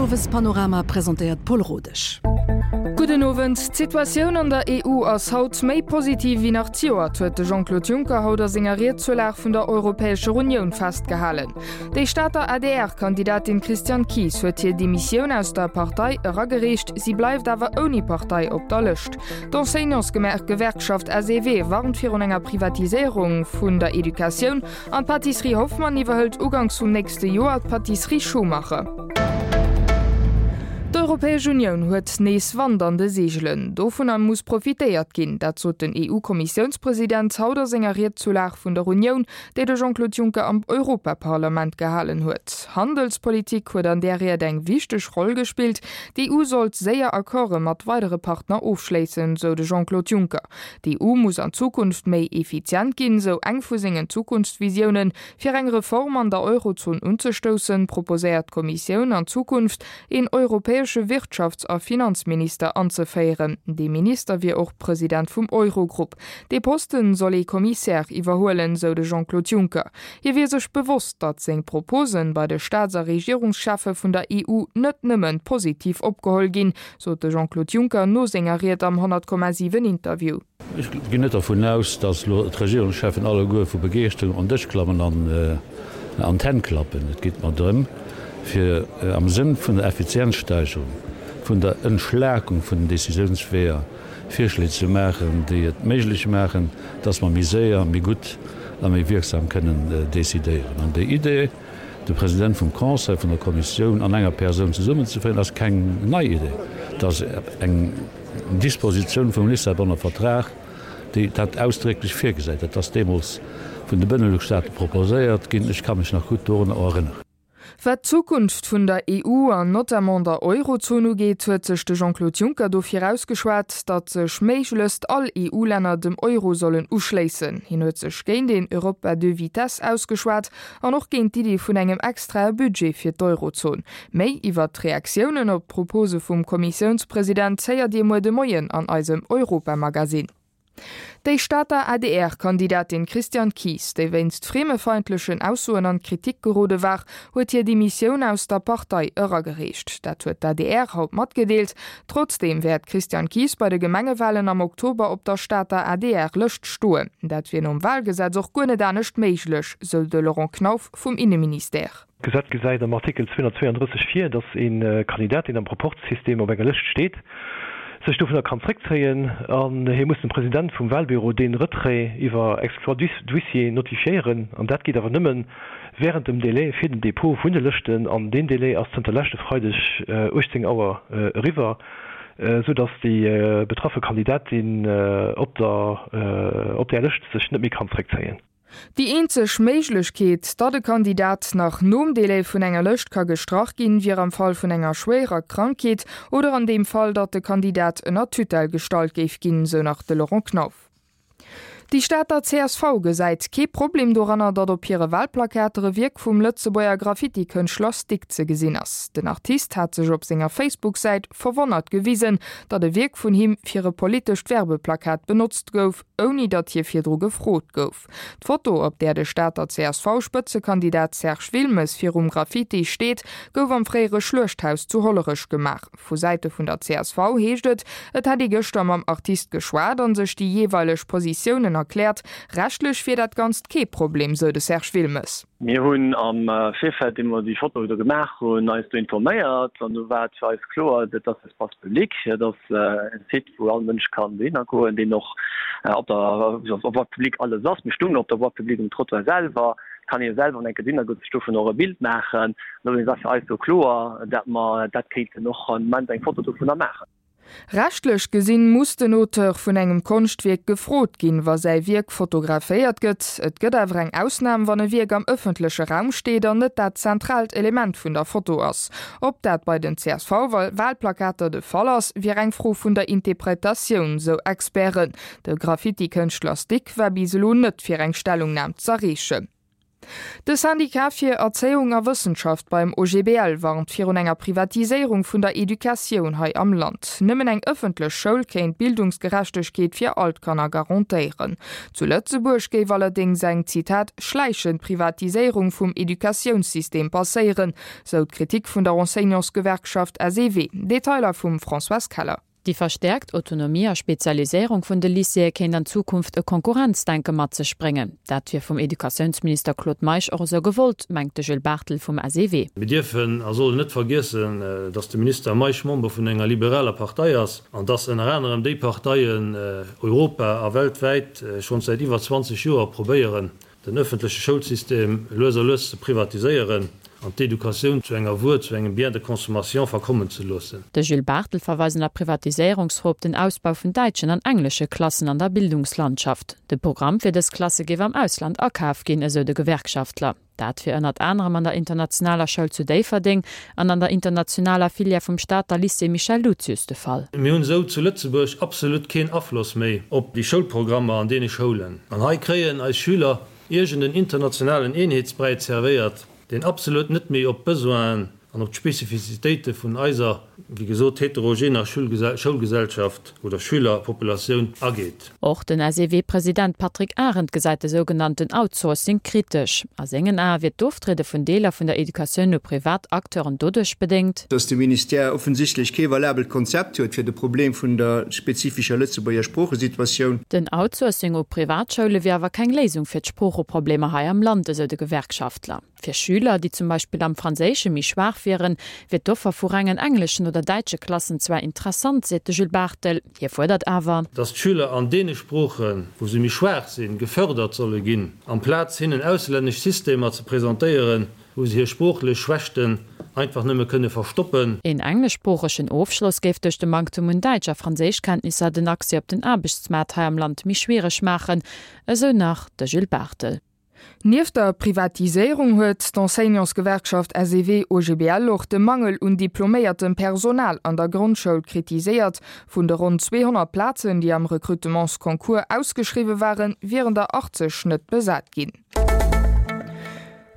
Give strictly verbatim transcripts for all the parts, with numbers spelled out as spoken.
Owespanorama presentéiert d'Paule Rodesch. Gudden Owend. D'Situatioun an der E U ass haut méi positiv wéi nach zejoert, huet de Jean-Claude Juncker haut a senger Ried zur Lag vun der Europäescher Unioun festgehalen. Déi Stater A D R-Kandidatin Christiane Kies huet hir Demissioun aus der Partei eragereecht, si bleift awer ouni Partei op der Lëscht. D'Enseignantsgewerkschaft S E W warnt virun enger Privatiséierung vun der Educatioun an d'Pâtisserie Hoffmann iwwerhëlt uganks vum nächste Joer d'Pâtisserie Schumacher. D'Europäesch Unioun huet nees Wand an de Seegelen. Dovunner muss profitéiert ginn, dat sot den E U-Kommissiounspresident haut a senger Ried zur Lag vun der Unioun, déi de Jean-Claude Juncker am Europaparlament gehalen huet. Handelspolitik huet an där Ried eng wichteg Roll gespillt. D'E U sollt séier Accorde mat weidere Partner ofschléissen, sou de Jean-Claude Juncker. D'E U muss an Zukunft méi effizient ginn, sou eng vu sengen Zukunftsvisiounen. Fir eng Reform an der Eurozon unzestoussen, proposéiert d'Kommissioun an Zukunft een europäesche Wirtschafts a Finanzminister anzeféieren. Dee Minister wier och President vum Eurogrupp. Dee Posten soll ee Kommissär iwwerhuelen, sou de Jean-Claude Juncker. Hie wier sech bewosst, datt seng Proposen bei de Staats a Regierungscheffe vun der E U net nëmmen positiv opgeholl ginn, sot de Jean-Claude Juncker no senger Ried am honnert Komma siwen Interview. Ech ginn net dervun aus, datt elo d'Regierungscheffen alleguer vu Begeeschterung an Dësch klammen an an d'Hänn klappen. Et geet mer drëm, fir am Sënn vun der Effizienzsteigerung, vun der Entschlakung vun den Décisiounsweeër Virschléi ze maachen, déi et méiglech maachen, datt mer méi séier, méi gutt a méi wierksam kënnen decidéieren. An déi Idee, de President vum Conseil, vun der Kommissioun an enger Persoun zesummenzeféieren, ass keng nei Idee. Et ass eng Dispositioun vum Lissabonner Vertrag, déi dat ausdrécklech virgesäit. Dat ass deemools vun de Benelux-Staate proposéiert ginn. Ech ka mech nach gutt dorunner erënneren. Wat d'Zukunft vun der E U an notamment der Eurozon ugeet, huet sech de Jean-Claude Juncker dofir ausgeschwat, datt sech méiglechst all E U-Länner dem Euro sollen uschléissen. Hien huet sech géint een Europe à deux vitesses ausgeschwat an och géint d'Iddi vun engem extrae Budget fir d'Eurozon. Méi iwwer d'Reaktiounen op d'Propose vum Kommissiounspresident héiert Dir muer de Moien an eisem Europamagazin. Déi Stater A D R-Kandidatin Christiane Kies, déi wéinst friemefeindlechen Aussoen an d'Kritik gerode war, huet hir Demissioun aus der Partei eragereecht. Dat huet d'A D R haut matgedeelt. Trotzdeem wäert d'Christiane Kies bei de Gemengewalen am Oktober op der Stater A D R-Lëscht stoen. Dat wier nom Walgesetz och guer net anescht méiglech, sou de Laurent Knauf vum Inneministère. D'Gesetz gesäit am Artikel zweehonnertzweeandrësseg vir, datt ee Kandidat, deen am Proporzsystem op enger Lëscht steet, sech dovunner kann zréckzéien an hie muss dem President vum Wahlbüro dee Retrait iwwer Exploit d'huissier notifiéieren. An dat geet awer nëmme während dem Délai fir den Dépôt vun de Lëschten, an deen Délai ass zënter leschte Freideg uechtzéng Auer eriwwer, sou datt déi betraffe Kandidatin op der op där Lëscht sech net méi kann zréckzéien. Déi eenzeg Méiglechkeet, datt e Kandidat nach nom Delai vun enger Lëscht ka gestrach ginn, wier am Fall vun enger schwéierer Krankheet oder an deem Fall, datt de Kandidat ënner Tutelle gestallt géif ginn, sou nach de Laurent Knauf. Déi Stater C S V gesäit kee Problem doranner, datt op hire Walplakater e Wierk vum Lëtzebuerger Graffiti-Kënschtler Stick ze gesinn ass. Den Artist hat sech op senger Facebook-Säit verwonnert gewisen, datt e Wierk vun him fir e politescht Werbeplakat benotzt gouf, ouni datt hie virdru gefrot gouf. D'Foto, op där de Stater C S V-Spëtzekandidat Serge Wilmes virum Graffiti steet, gouf am fréiere Schluechthaus zu Hollerech gemaach. Vu Säite vun der C S V heescht et, et hätt ee gëschter mam Artist geschwat an sech déi jeeweileg Positiounen erkläert. Rechtlech wier dat Ganzt kee Problem, sou de Serge Wilmes. Mir hunn am Virfeld, ier mer déi Foto do gemaach hunn, eis do informéiert an do war et fir eis kloer, dat ass Espace public, dat ass e Site, wou all Mënsch kann dohinner goen, deen och op der Voie publique alles ass. Mir stungen op der Voie publique um Trottoir selwer, et kann ee selwer enke dohinner goen, sech dovun och e Bild maachen. Dowéinst war fir eis do kloer, dat mer dat kéinten och am Moment eng Foto dovunner maachen. Rechtlech gesinn muss den Auteur vun engem Konschtwierk gefrot ginn, wa säi Wierk fotograféiert gëtt. Et gëtt awer eng Ausnam, wann e Wierk am ëffentleche Raum steet an net dat zentraalt Element vun der Foto ass. Ob dat bei den C S V-Walplakater de Fall ass, wier eng Fro vun der Interpretatioun, sou Experten. De Graffiti-Kënschtler Stick war bis elo net fir eng Stellungnam z'erreechen. De Syndicat fir Erzéiung a Wëssenschaft beim OGBL warnt virun enger Privatiséierung vun der Educatioun hei am Land. Nëmmen eng ëffentlech Schoul kéint Bildungsgerechtegkeet fir all d'Kanner garantéieren. Zu Lëtzebuerg géif allerdéngs eng, Zitat, schläichend Privatiséierung vum Educatiounssystem passéieren, sou d'Kritik vun der Enseignantsgewerkschaft SEW. Detailer vum Françoise Keller. Déi verstäerkt Autonomie a Spezialiséierung vun de Lycéeë kéint an Zukunft e Konkurrenzdenke mat sech bréngen. Dat wier vum Educatiounsminister Claude Meisch och esou gewollt, mengt de Jules Barthel vum SEW. Mir dierfen a sollen net vergiessen, datt de Minister Meisch Member vun enger liberaler Partei ass an datt ënner anerem déi Parteien europa a weltwäit schonns säit iwwer zwanzeg Joer probéieren, den ëffentleche Schoulsystem lues a lues ze privatiséieren an d'Educatioun zu enger Wuer, zu engem Bien de consommation verkommen ze loossen. De Jules Barthel verweist an der Privatiséierungsfro op den Ausbau vun däitschen an englesche Klassen an der Bildungslandschaft. De Programm fir dës Klasse géif am Ausland akaf ginn, esou de Gewerkschaftler. Dat wier ënnert anerem an der Internationaler Schoul zu Déifferdeng an an der internationaler Filière vum Stater Lycée Michel Lucius de Fall. Mir hunn esou zu Lëtzebuerg absolut keen Afloss méi op déi Schoulprogrammer an deene Schoulen. An hei kréien eis Schüler iergend en internationalen Eenheetsbräi zerwéiert, deen absolut net méi op d'Besoinen an op d'Spezifizitéite vun eiser, wéi gesot, heterogener Schoulgesellschaft oder Schülerpopulatioun ageet. Och den SEW-President Patrick Arendt gesäit de sougenannten Outsourcing kritesch. A sengen Ae wier d'Oftriede vun Deeler vun der Educatioun u privat Acteuren doduerch bedéngt, dass de Ministère offensichtlech kee valabelt Konzept huet fir de Problem vun der spezifischer Lëtzebuerger Sproochesituatioun. Den Outsourcing u Privatschoule wier awer keng Léisung fir d'Sproocheproblemer hei am Land, esou de Gewerkschaftler. Fir Schüler, déi zum Beispill am Franséische méi schwaach wieren, wier d'Offer vu rengen engleschen oder däitsche Klassen zwar interessant, seet de Jules Barthel. Hie fuerdert awer. Dass d'Schüler an deene Sproochen, wou se méi schwaach sinn, gefërdert solle ginn, amplaz hinnen auslännesch Systemer ze presentéieren, wou se hir sproochlech Schwächten einfach nëmme kënne verstoppen. Een engleschsproochegen Ofschloss géif duerch de Manktem un Däitsch a Franséischkenntnisser den Accès op den Aarbechtsmaart hei am Land méi schwiereg maachen, esou nach de Jules Barthel. Nieft der Privatiséierung huet d'Enseignantsgewerkschaft SEW-OGBL och de Mangel un diploméiertem Personal an der Grondschoul kritiséiert. Vun de ronn zweehonnert Plazen, déi am Recrutementsconcours ausgeschriwwe waren, wieren der achtzeg net besat ginn.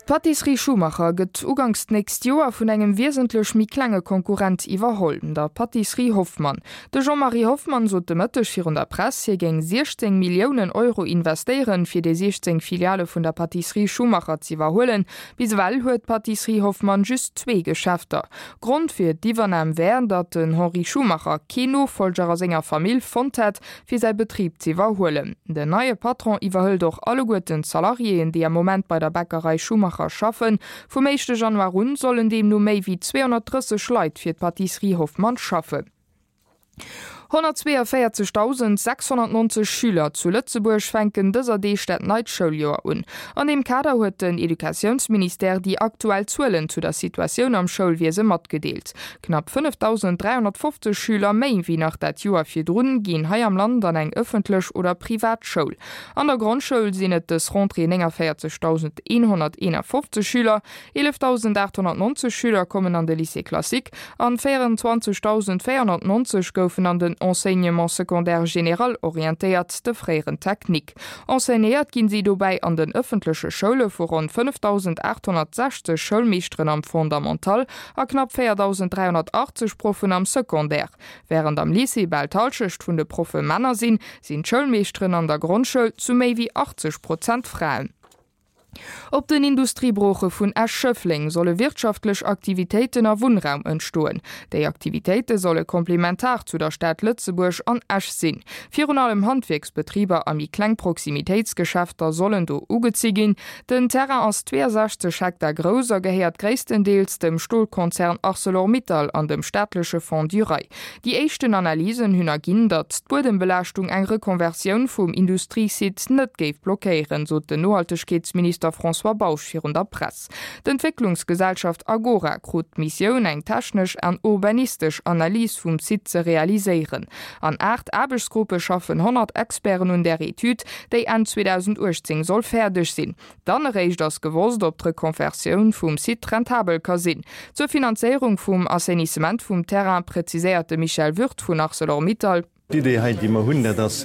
D'Pâtisserie Schumacher gëtt uganks d'nächst Joer vun engem wiesentlech méi klenge Konkurrent iwwerholl, der Pâtisserie Hoffmann. De Jean-Marie Hoffmann sot de Mëtteg virun der Press, hie géing siechzéng Milliounen Euro investéieren, fir déi siechzéng Filiale vun der Pâtisserie Schumacher z'iwwerhuelen. Bis ewell huet d'Pâtisserie Hoffmann just zwee Geschäfter. Grond fir d'Iwwernam wär, datt den Henri Schumacher keen Nofollger a senger Famill fonnt hätt, fir säi Betrib z'iwwerhuelen. Den neie Patron iwwerhëlt och alleguerten d'Salariéen, déi am Moment bei der Bäckerei Schumacher schaffen. Vum éischte Januar un sollen deemno méi wéi zweehonnertdrësseg Leit fir d'Pâtisserie Hoffmann schaffen. honnertzweeënvéierzegdausendsechshonnertnonzeg Schüler zu Lëtzebuerg fänken dëser Deeg dat neit Schouljoer un. An deem Kader huet den Educatiounsministère déi aktuell Zuelen zu der Situatioun am Schoulwiese matgedeelt. Knapp fënnefdausend dräihonnertfofzeg Schüler méi wéi nach dat Joer virdrun ginn hei am Land an eng ëffentlech oder privat Schoul. An der Grondschoul sinn et dës Rentrée néngavéierzegdausendeenhonnerteenafofzeg Schüler, eelefdausendaathonnertnonzeg Schüler kommen an de Lycée classique an véierenzwanzegdausendvéierhonnertnonzeg goufen an den Enseignement secondaire général orientéiert, de fréieren Technique. Enseignéiert ginn si dobäi an den ëffentleche Schoule vu ronn fënnefdausendaathonnertsechzeg Schoulmeeschteren am Fondamental a knapp véierdausend dräihonnertachtzeg Proffen am Secondaire. Wärend am Lycée bal d'Hallschecht vun de Proffe Männer sinn, sinn d'Schoulmeeschteren an der Grondschoul zu méi wéi achtzeg Prozent Fraen. Op den Industriebrooche vun Esch-Schëffleng solle wirtschaftlech Aktivitéiten a Wunnraum entstoen. Déi Aktivitéite solle komplementar zu der Stad Lëtzebuerg an Esch sinn. Virun allem Handwierksbetriber a méi kleng Proximitéitsgeschäfter sollen do ugezi ginn. Den Terrain ass zweeësechzeg Hektar grouss a gehéiert gréisstendeels dem Stolkonzern Arcelor-Mittal an dem staatleche Fonds du Rail. Déi éischten Analysen hunn erginn, datt d'Buedembelaaschtung eng Rekonversioun vum Industriesite net géif blockéieren, sot den Nohaltegkeetsminister François Bausch virun der Press. D'Entwécklungsgesellschaft Agora krut d'Missioun, eng technesch an urbanistesch Analys vum Site ze realiséieren. An aacht Aarbechtsgruppe schaffen honnert Experten un där Etüd, déi Enn zweedausenduechtzéng soll fäerdeg sinn. Dann eréischt ass gewosst, ob d'Rekonversioun vum Site rentabel ka sinn. Zur Finanzéierung vum Assainissement vum Terrain preziséiert de Michel Würth vun Arcelor-Mittal. D'Idee hei, déi mer hunn, dat ass,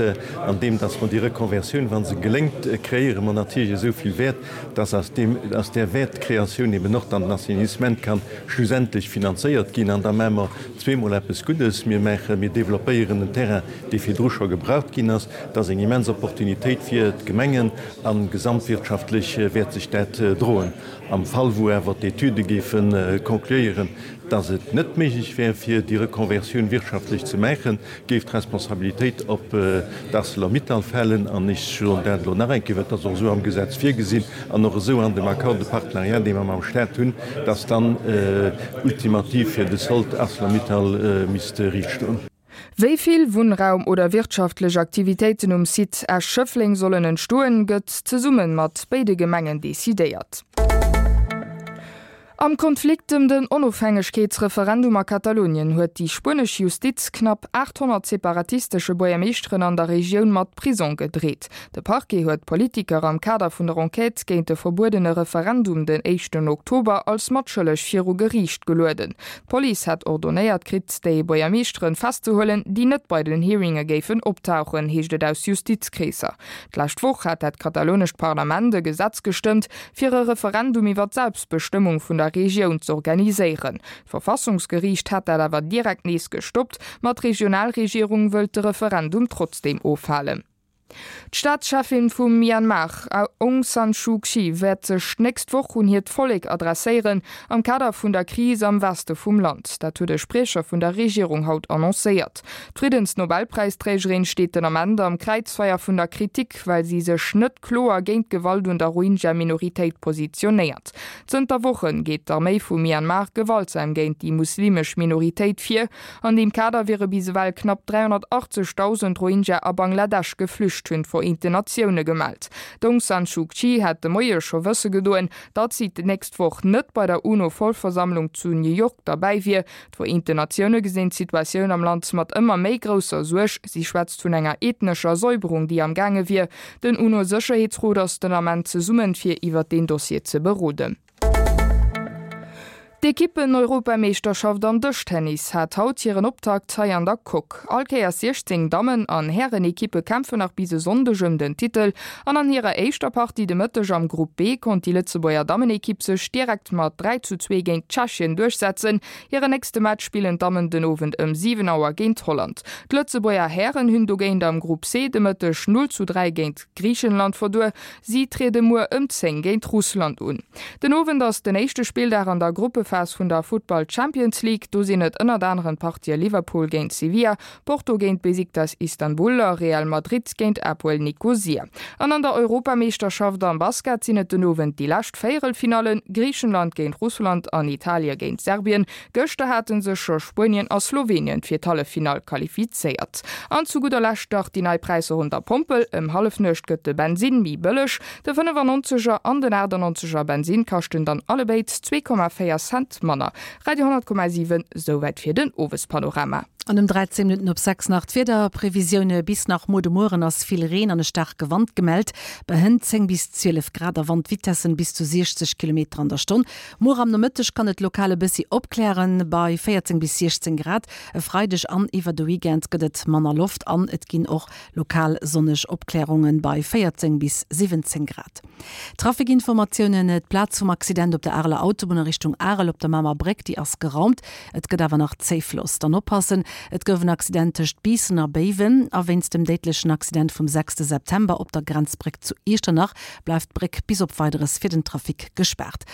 andeem dass mer déi Reconversioun, wa se geléngt, kreéiere mer natierlech esou vill Wäert, dass aus deem, aus där Wäertkreatioun eben och dann den Assainissement kann schlussendlech finanzéiert ginn. An da maache mer zweemol eppes Guddes, Mir maachen, mir développéieren en Terrain, dee virdru scho gebraucht ginn ass. Dat ass eng immens Opportunitéit fir d'Gemengen a gesamtwirtschaftlech wäert sech dat droen. Am Fall wou awer d'Etüde géife concluéieren, dass et net méiglech wär, fir déi Reconversioun wirtschaftlech ze maachen, géif d'Responsabilitéit op d'Arcelor-Mittal falen. An ech soen dat elo nach eng Kéier, well et ass och esou am Gesetz virgesinn an och esou an dem Accord de partenariat, dee mer mam Stat hunn, dass dann ultimativ fir de Sold Arcelor-Mittal misst riichtstoen. Wéi vill Wunnraum oder wirtschaftlech Aktivitéiten um Site Esch-Schëffleng sollen entstoen, gëtt zesumme mat béide Gemengen decidéiert. Am Konflikt ëm den Onofhängegkeetsreferendum a Katalonien huet déi spuenesch Justiz knapp achthonnert separatistesche Buergermeeschteren an der Regioun mat Prisong gedreet. De Parquet huet d'Politiker am Kader vun der Enquête géint de verbuedene Referendum den éischten Oktober als matschëlleg viru Geriicht gelueden. D'Police hätt ordonéiert kritt, déi Buergermeeschteren festzehuelen, déi net bei den Hearinge géifen optauchen, heescht et aus Justizkreesser. D'lescht Woch hat dat katalonescht Parlament e Gesetz gestëmmt, fir e Referendum iwwer d'Selbstbestëmmung vun der Regioun z'organiséieren. D'Verfassungsgeriicht hat dat awer direkt nees gestoppt, ma d'Regionalregierung wëllt de Referendum trotzdeem ofhalen. D'Staatscheffin vum Myanmar, Aung San Suu Kyi, wäert sech d'nächst Woch un hiert Vollek adresséieren, am Kader vun der Kris am Weste vum Land. Dat huet e Spriecher vun der Regierung haut annoncéiert. D'Friddensnobelpräisträgerin steet den Ament am Kräizfeier vun der Kritik, well si sech net kloer géint d'Gewalt un der Rohingya-Minoritéit positionéiert. Zënter Woche geet d'Arméi vu Myanmar gewaltsam géint déi muslimesch Minoritéit vir. An deem Kader wiere bis ewell knapp dräihonnertachtzegdausend Rohingya a Bangladesch geflücht, hunn d'Vereenten Natioune gemellt. D'Aung San Suu Kyi hat de Moie scho wësse gedoen, datt si d'nächst Woch net bei der UNO-Vollversammlung zu New York derbäi wier. D'Vereenten Natioune gesinn d'Situatioun am Land mat ëmmer méi grousser Suerg. Si schwätzt vun enger ethnescher Säuberung, déi am gaange wier. Den UNO-Sécherheetsrot ass den Ament zesummen, fir iwwer deen Dossier ze beroden. D'Ekippen-Europameeschterschaft am Dëschtennis hat haut hiren Optakt hei an der Coque. All Kéiers siechzéng Dammen an Härenekippe kämpfen nach bis e Sonndeg ëm den Titel an an hirer éischter Partie de Mëtteg am Grupp B konnt déi Lëtzebuerger Dammenekipp sech direkt mat dräi zu zwee géint Tschechien duerchsetzen. Hiren nächste Match spillen d'Dammen den Owend ëm siwen Auer géint Holland. D'Lëtzebuerger Hären hunn dogéint am Grupp C de Mëtteg null zu dräi géint Griichenland verluer. Si triede muer ëm zéng géint Russland un. Den Owend ass den éischte Spilldag an der Gruppephas vun der Futtball Champions League. Do sinn et ënnert aneren d'Partië Liverpool géint Sevilla, Porto géint Besiktas Istanbul a Real Madrid géint Apoel Nikosia. An an der Europameeschterschaft am Basket sinn et den Owend déi lescht Véierelfinallen, Griichenland géint Russland an Italie géint Serbien. Gëschter hate sech scho Spuenien a Slowenien fir d'Halleffinall qualifizéiert. An zu gudder Lescht nach déi nei Präisser un der Pompel, Ëm Hallefnuecht gëtt de Bensinn méi bëlleg, de fënnefannonzeger an den achtannonzeger Bensinn kaschten dann allebéid zwee Komma véier Cent manner. Radio honnert Komma siwen, Souwäit fir den Owespanorama. An um dräizéng Minutten op sechs nach d'Wiederprevisioune, Bis nach muer de Mueren ass vill Reen an e staarke Wand gemellt, bei hënt zéng bis zwielef Grad a Wandvitessen bis zu siechzeg Kilometer an der Stonn. Muer am Nomëtteg kann et lokal e bëssi opklären, bei véierzéng bis siechzéng Grad. E Freideg an iwwer de Weekend gëtt et manner Loft an et ginn och lokal sonneg Opklärungen, bei véierzéng bis siwwenzéng Grad. Trafikinformatiounen, D'Plaz vum Accident op der Areler Autobunn a Richtung Arel op der Mamer Bréck, déi ass geraumt. Et gëtt awer nach Zéifloss. Dann oppassen, Et gouf en Accident tëscht Biissen a Béiwen a wéinst dem déidlechen Accident vum sechste September op der Grenzbréck zu Iechternach bleift d'Bréck bis op Weideres fir den Trafic gespaart.